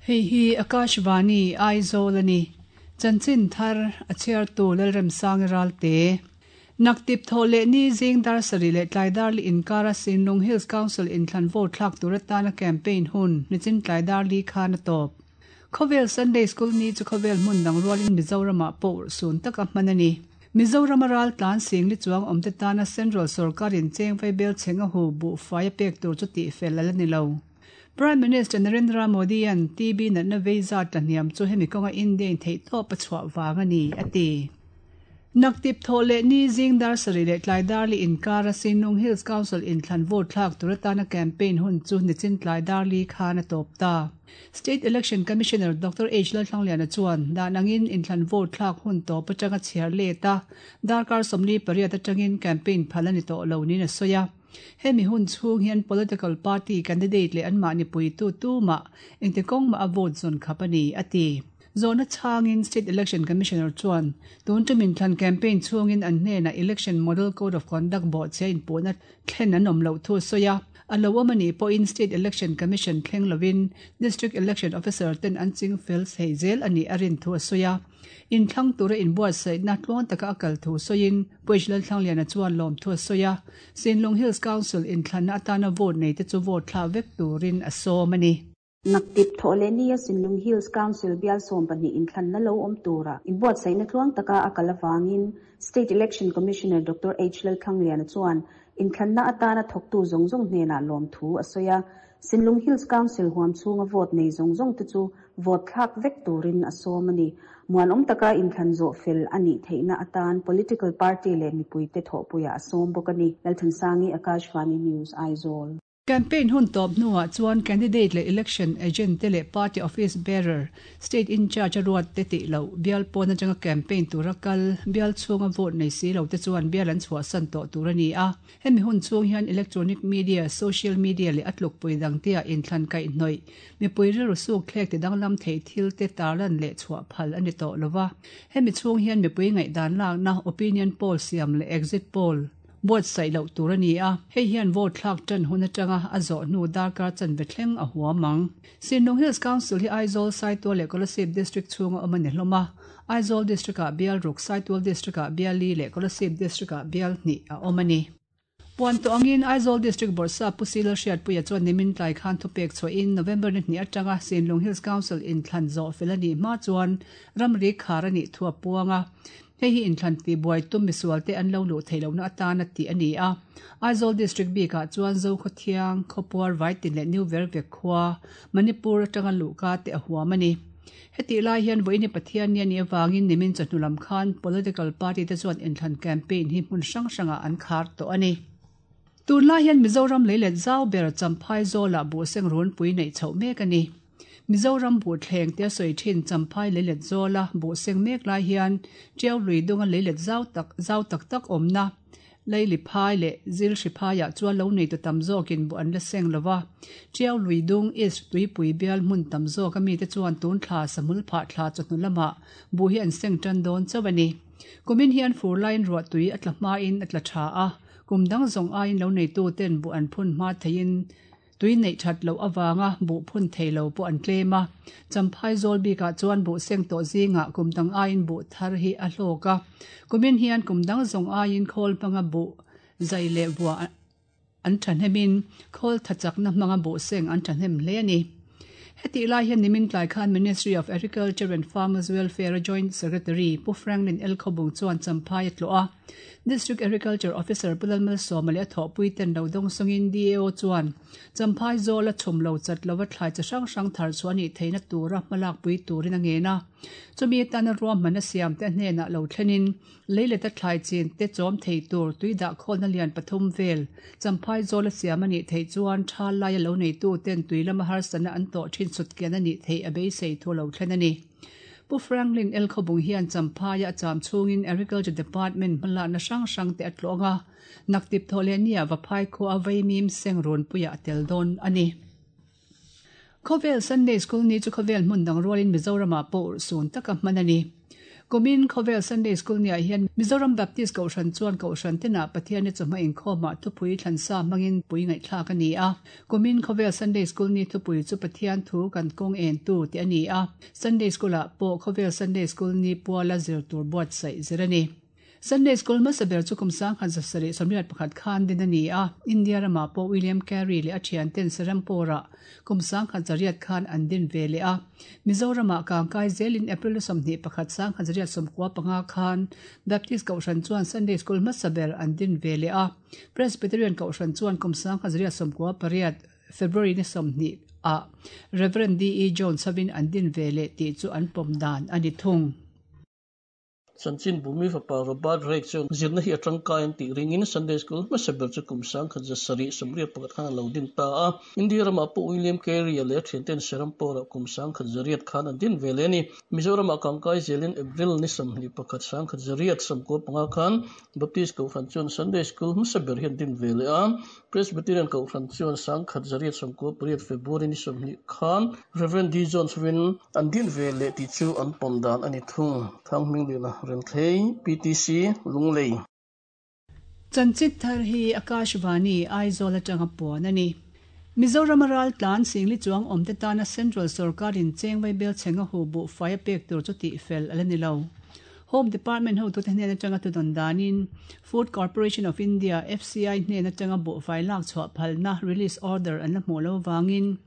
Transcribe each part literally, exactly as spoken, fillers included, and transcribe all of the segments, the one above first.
Hei hi Akashvani Aizawl ani. Chanchin thar a chhiartu Lalremsangi Ralte. Naktip thaw leh ni zing dar sarih leh tlai dar li inkara Sinlung Hills Council inthlan vote thlak tur atana campaign hun nichin tlai dar li khan a tawp. Khawvel Sunday School ni chu khawvel hmun dang rualin Mizoramah pawh urhsun taka hman a ni. Mizorama ral tlan sing li chuang awmte tana Central Sorkarin cheng vaibel chheng a hu buhfai a pek tur chu tihfel a la ni lo. Prime Minister Narendra Modi an T B natna vei zat tla hniam chu hemi kawnga India in theihtawp a chhuah vang a ni, a ti. Naktip thaw leh ni zing dar sarih leh tlai dar li inkara Sinlung Hills Council inthlan vote thlak tur atana campaign hun chu nichin tlai dar li khan a tawp ta. State Election Commissioner Doctor H Lalthlangliana chuan dan angin inthlan vote thlak hun tawp atanga chhiar let a darkar sawmli pariat atangin campaign phal a ni tawh lo niin a sawi a. Hemi hun chhung hian political party candidate leh anmahni puitu tumah engti kawng mah a vote zawn khap a ni, a ti. Zawhna chhangin State Election Commissioner chuan tun tum inthlan campaign chhungin an hnenah Election Model Code of Conduct bawhchhia inpuhna thlen an awm loh thu a sawi a. A lo awm a nih pawhin State Election Commission thleng lovin District Election Officer ten an ching fel thei zel a nih a rin thu a sawi a. Inthlang tura inbuatsaihna tluang taka a kal thu sawiin Pu H Lalthlangliana chuan lawm thu a sawi a. Sinlung Hills Council inthlanna atana vote nei te chu vote thla vek turin a sawm a ni. Naktip thaw leh ni a Sinlung Hills Council bial sawm pahnih inthlanna lo awm tura inbuatsaihna tluang taka a kal avangin State Election Commissioner Doctor H Lalthlangliana chuan inthlanna atana thawktu zawng zawng hnenah lawm thu a sawi a. Sinlung Hills Council huam chhunga vote nei zawng zawng te chu vote thlak vek turin a sawm a ni. Muanawm taka inthlan zawh fel a nih theihna atan political party leh mipuite thawhpuiah a sawm bawk a ni. Lalthansangi, Akashvani News, Aizawl. Campaign hun tawp hnuah chuan candidate leh election agent te leh party office bearer, state in charge a ruat te tih loh, bial pawn atanga campaign tura kal, bial chhunga vote nei si lo te chuan bial an chhuahsan tawh tur a ni a. Hemi hun chhung hian electronic media, social media leh a tlukpui dang te ah inthlan kaihhnawih, mipui rilru suk thlek ti danglam thei thil te tarlan leh chhuah phal a ni tawh lova. Hemi chhung hian mipui ngaihdan lakna opinion poll siam leh exit poll buatsaih loh tur a ni a. Hei hian vote thlak tan hun atanga a zawh hnu darkar chanve thleng a huam ang. Sinlung Hills Council hi Aizawl, Saitual leh Kolasib District chhunga awm a ni hlawm a. Aizawl District ah bial ruk, Saitual District ah bial li leh Kolasib District ah bial hnih a awm a ni. Puan tawh angin Aizawl District Bawrhsap Pu Sila Hriatpuia chuan nimin tlai khan thupek chhuahin November ni hnih atanga Sinlung Hills Council inthlan zawh fel a nih hma chuan ramri khar a nih thu a puang a. Hei hi inthlan tihbuai tum misual te an lo luh theih lohna atana tih a ni a. Aizawl District bikah chuan Zokhawthiang, Khawpuar Vaitin leh New Vervek khua, Manipur atanga luhka te a huam a ni. Hetih lai hian vawiin Pathian ni a nih avangin nimin chawhnu lam khan political party te chuan inthlan campaign hi hmun hrang hrangah an khar tawh a ni. Tunlai hian Mizoram leilet zau ber Champhai Zawlah buhseng runpui neih chhoh mek a ni. Mizoram buhthleng tia sawi thin Champhai leilet zawla buhseng mek lai hian Tiau lui dunga leilet zau tak zau tak tak awmna Leili phai leh Zilhri phaiah chuan lo neitu tam zawkin buh an la seng lova. Tiau lui dung East tuipui bial hmun tam zawk a mite chuan tun thla sahmul phah thla chawhnu lamah buh hi an seng tan dawn chauh a ni. Kumin hian fur laiin ruah tui a tla hmain a tla tha a, kum dang zawng aiin lo neitu ten buh an phun hma theiin tui neih that loh avanga buh phun thei lo pawh an tlem a. Champhai zawl bikah chuan buh seng tawh zingah kum dang aiin buh thar hi a hlawk a. Kumin hian kum dang zawng aiin khawl hmanga buh zai leh buah an thahnemin khawl thachakna hmanga buh seng an thahnem hle a ni. Hetih lai hian nimin tlai khan Ministry of Agriculture and Farmers Welfare Joint Secretary Pu Franklin L Khawbung chuan Champhai a tlawh a. District Agriculture Officer Pu Lalmalsawma leh a thawhpui ten lo dawng sawngin D A O chuan Champhai zawl a chhum lo chat lova thlai chi hrang hrang thar chu a nih theihna tura hmalak pui turin a ngen a. Chumi atana ruahman a siam te a hnenah lo thlenin leileta thlai chin te chawm thei tur tui dah khawlna lian pathum vel Champhai zawl a siam a nih theih chuan thal laia lo neitu ten tui lama harsatna an tawh thin sutkian a nih theih a beisei thu lo thlen a ni. Pu Franklin L Khawbung hian Champhaia a cham chhungin Agriculture Department hmalakna hrang hrang te a tlawng a. Naktip thaw leh nia Vaphai khua a vaimim seng runpuiah a tel dawn a ni. Khawvel Sunday School ni chu khawvel hmun dang rualin Mizoramah pawh urhsun taka hman a ni. Kumin Khawvel Sunday School niah hian Mizoram Baptist Kohhran chuan Kohhran tenah Pathian ni chawhma inkhawmah thupui thlansa hmangin pui ngaihthlak a ni a. Kumin Khawvel Sunday School ni thupui chu Pathian thu kan kawng en tu tih a ni a. Sunday School-ah pawh Khawvel Sunday School ni puala zir tur buatsaih zir a ni. Sunday School hmasa ber chu kum sangkhat zasarih sawmriat pakhat khan din a ni a. India ramah pawh William Carey leh a thianten Serampore-ah kum sangkhat zariat khan an din ve leh a. Mizoramah kangkai zelin April sawmhnih pakhat sangkhat zariat sawmkua panga khan Baptist Kohhran chuan Sunday School hmasa ber an din ve leh a. Presbyterian Kohhran chuan kum sangkhat zariat sawmkua pariat February ni sawmhnih ah Reverend D E Jones hovin an din ve leh tih chu an pawm dan a ni thung. Chanchin bumi fapa Robert Drake chuan zirna hi atangkai an tih ringin Sunday School hmasa ber chu kum sangkhat zasarih sawmriat pakhat khan a lo din ta a. India ramah pawh William Carey leh thianten Serampore-ah kum sangkhat zariat khan an din ve leh a ni. Mizoramah kangkai zelin April ni sawmhnih pakhat sangkhat zariat sawmkua panga khan Baptist Kohhran chuan Sunday School hmasa ber hi an din ve leh a. Presbyterian Kohhran chuan sangkhat zariat sawmkua pariat February ni sawmhnih khan Reverend D Jones hovin an din ve leh tih chu an pawm dan a ni thung. Thang hming lehna Renthlei P T C Lunglei. Chanchit thar hi Akashvani Aizawl atanga puan a ni. Mizoram ral tlan singli chuang awmte tana Central Sarkarin chengwai bel chenga hu bu fire pek tur chu ti fel ala ni lo. Home Department ho tu te hnen atanga tu don danin Food Corporation of India F C I hnen atanga bu fai lak chhuah phalna release order an la hmu lo wangin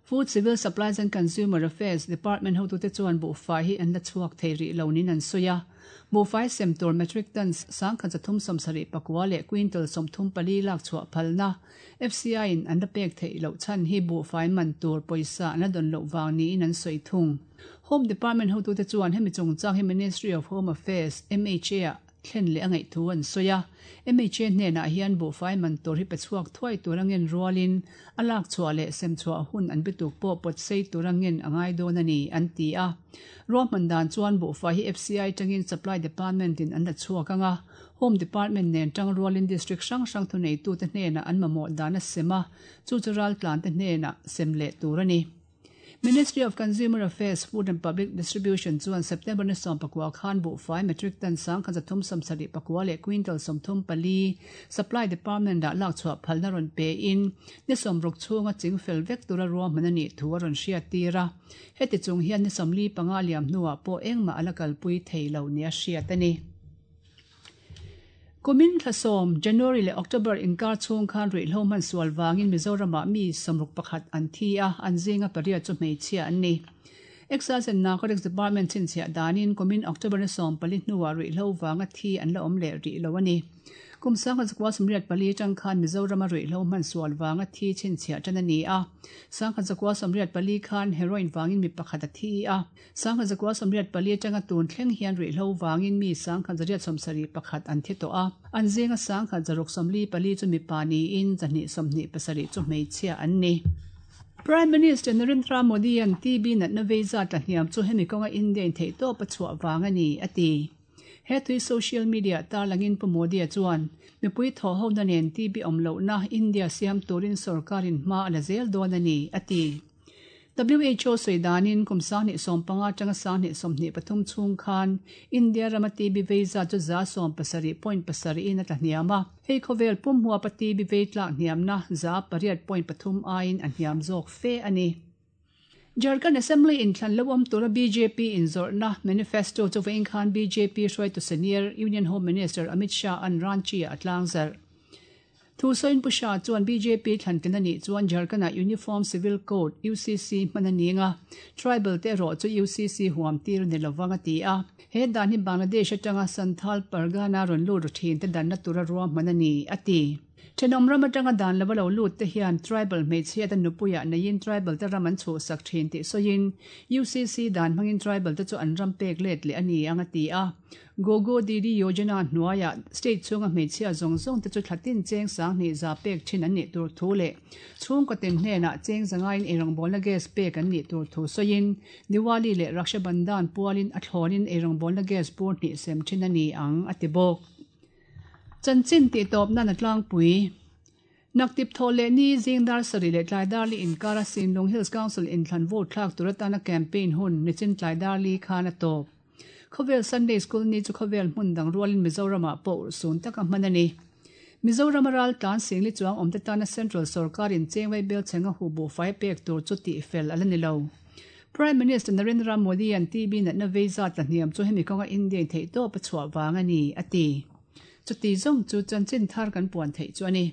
Food Civil Supplies and Consumer Affairs Department ho tu te chuan bu fai hi an la chhuak thei ri lo nin an soya. Bu fai sem tur metric tons sangkhat zathum sawmsarih pakua leh quintal sawmthum pali lak chhuah phalna F C I in an la pek thei lo chan hi bu fai man tur pawisa an la don lo wang niin an sawi thung. Home Department ho tu te chuan hemi chungchang hi Ministry of Home Affairs M H A ah thlen leh a ngaih thu an sawi a. M H A hnenah hian bu fai man tur hi pe chhuak thuai tur angin rualin a lak chhuah leh sem chhuah hun an bituk pawh pawt sei tur angin a ngai dawn a ni an ti a. Ruahman dan chuan bu fai hi F C I tangin Supply Department in an la chhuak anga. Home Department nen tang rualin district hrang hrang thu nei tu te hnenah an mamawh dan a sem a. Chu chu ral tlan te hnenah sem leh tur a ni. Ministry of Consumer Affairs, Food and Public Distribution chuan September ni sawm pakua khan bu fai metric ton sangkhat zathum sawmsarih pakua leh quintal sawmthum pali Supply Department ah lak chhuah phalna rawn pe in ni sawmruk chhunga chingfel vek tura ruahman a nih thu a rawn hriat tir a. Heti chung hian ni sawmli panga liam hnuah pawh engmah a la kalpui thei lo ni a hriat a ni. Kumin thlasawm January leh October inkar chhung khan ruihhlo hman sual wangin Mizoramah mi sawmruk pakhat an thi a, an zinga pariat chu hmeichhia an ni. Excise and Narcotics Department chhinchhiah danin kumin October ni sawm pali hnuah ruihhlo wanga thi an la awm leh rih lo a ni. Kum sangkhat zakua sawmriat pali tang khan Mizorama ruihhlo hman sual wanga thi chhinchhiah tan a ni a. Sangkhat zakua sawmriat pali khan heroin wangin mi pakhat a thi a. Sangkhat zakua sawmriat pali tanga tun thleng hian ruihhlo wangin mi sangkhat zariat sawmsarih pakhat an thi tawh a. An zinga sangkhat zaruk sawmli pali chu mi pa niin zahnih sawmhnih pasarih chu hmeichhia an ni. Prime Minister Narendra Modi an T B natna vei zat la hniam chu hemi kawnga India in theih tawp a chhuah wang a ni a ti. He tui social media tarlangin pu Modi a chuan mipui thaw ho na nen T B awm lohna India siam turin sarkarin hma a la zel dawn a ni a ti. W H O sawi danin kum sangni sawm panga tanga sangni sawmhnih pathum chhung khan India rama T B vei zat chu za sawm pasarih point pasarih in a tla hniam a. Hei khawvel pum huapa T B vei tlak hniamna za pariat point pathum aiin a hniam zawk fe a ni. Jharkhand Assembly in thlan lo awm tura B J P in zawrhna manifesto chu vawiin khan B J P hruaitu senior Union Home Minister Amit Shah an Ranchi a tlang zarh. Thu sawiin pu Shah chuan B J P thlan tin a nih chuan Jharkhand-ah Uniform Civil Code U C C hman a ninga. Tribal te erawh chu U C C huam tir ni lovang a ti a. He dan hi Bangladesh atanga Santhal Pargana rawn lut thin te danna tura ruahman a ni a ti. Thenawm ram atanga dan lova lo lut te hian tribal hmeichhia te nupuiah neiin tribal te ram an chhuhsak thin tih sawiin U C C dan hmangin tribal te chu an ram pek let leh a ni ang a ti a. Gogo Didi Yojana hnuaiah state chhunga hmeichhia zawng zawng te chu thlatin cheng sanghnih za pek thin an nih tur thu leh chhungkaw tin hnenah cheng zangain eirawngbawlna gas pek an nih tur thu sawiin Diwali leh Raksha Bandhan pualin a thlawnin eirawngbawlna gas bur hnih sem thin a ni ang a ti bawk. Chanchin tih tawp nan a tlangpui. Naktip thaw leh ni zingdar sarih leh tlaidar li inkara Sinlung Hills Council inthlan vote thlak tur atana campaign hun nichin tlaidar li khan a tawp. Khawvel Sunday School ni chu khawvel hmun dang rualin Mizoram ah pawh urhsun taka hman a ni. Mizoram ral tlan singli chuang awmte tana Central Sorkarin chengwei bel chenga hu bu fai pek tur chu ti fel ala ni lo. Prime Minister Narendra Modi an T B natna vei zat la hniam chu hemi kawnga India in theih tawp a chhuah vang a ni, a ti. Chuti zawng chu chanchin thar kan puan theih chu a ni.